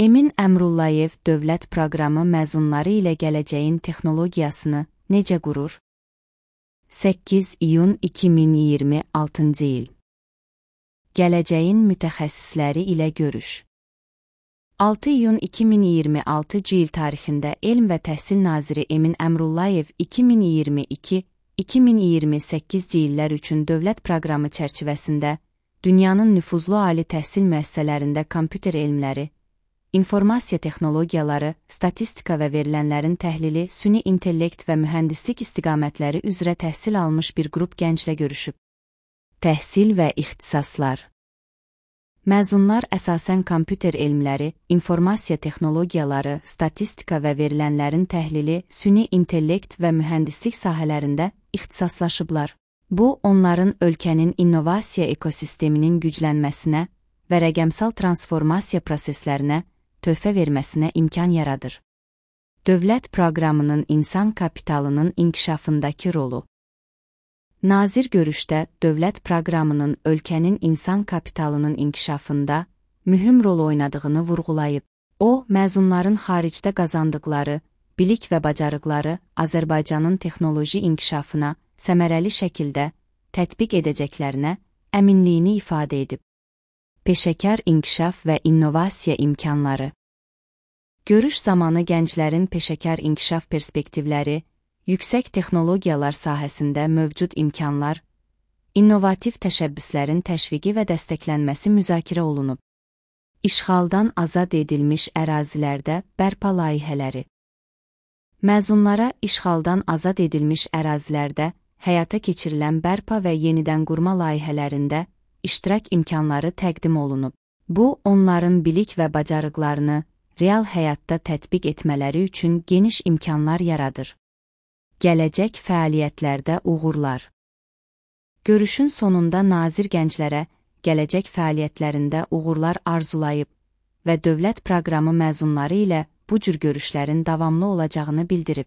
Emin Əmrullayev dövlət proqramı məzunları ilə gələcəyin texnologiyasını necə qurur? 8 iyun 2026-cı il. Gələcəyin mütəxəssisləri ilə görüş. 6 iyun 2026-cı il tarixində Elm və Təhsil Naziri Emin Əmrullayev 2022-2028-ci illər üçün dövlət proqramı çərçivəsində dünyanın nüfuzlu ali təhsil müəssisələrində kompüter elmləri, informasiya texnologiyaları, statistika və verilənlərin təhlili, süni intellekt və mühəndislik istiqamətləri üzrə təhsil almış bir qrup gənclə görüşüb. Təhsil və ixtisaslar. Məzunlar əsasən kompüter elmləri, informasiya texnologiyaları, statistika və verilənlərin təhlili, süni intellekt və mühəndislik sahələrində ixtisaslaşıblar. Bu, onların ölkənin innovasiya ekosisteminin güclənməsinə və rəqəmsal transformasiya proseslərinə töhfə verməsinə imkan yaradır. Dövlət proqramının insan kapitalının inkişafındakı rolu. Nazir görüşdə dövlət proqramının ölkənin insan kapitalının inkişafında mühüm rol oynadığını vurğulayıb. O, məzunların xaricdə qazandıqları bilik və bacarıqları Azərbaycanın texnoloji inkişafına səmərəli şəkildə tətbiq edəcəklərinə əminliyini ifadə edib. Peşəkar inkişaf və innovasiya imkanları. Görüş zamanı gənclərin peşəkar inkişaf perspektivləri, yüksək texnologiyalar sahəsində mövcud imkanlar, innovativ təşəbbüslərin təşviqi və dəstəklənməsi müzakirə olunub. İşğaldan azad edilmiş ərazilərdə bərpa layihələri. Məzunlara işğaldan azad edilmiş ərazilərdə həyata keçirilən bərpa və yenidən qurma layihələrində iştirak imkanları təqdim olunub. Bu, onların bilik və bacarıqlarını real həyatda tətbiq etmələri üçün geniş imkanlar yaradır. Gələcək fəaliyyətlərdə uğurlar. Görüşün sonunda nazir gənclərə gələcək fəaliyyətlərində uğurlar arzulayıb və dövlət proqramı məzunları ilə bu cür görüşlərin davamlı olacağını bildirib.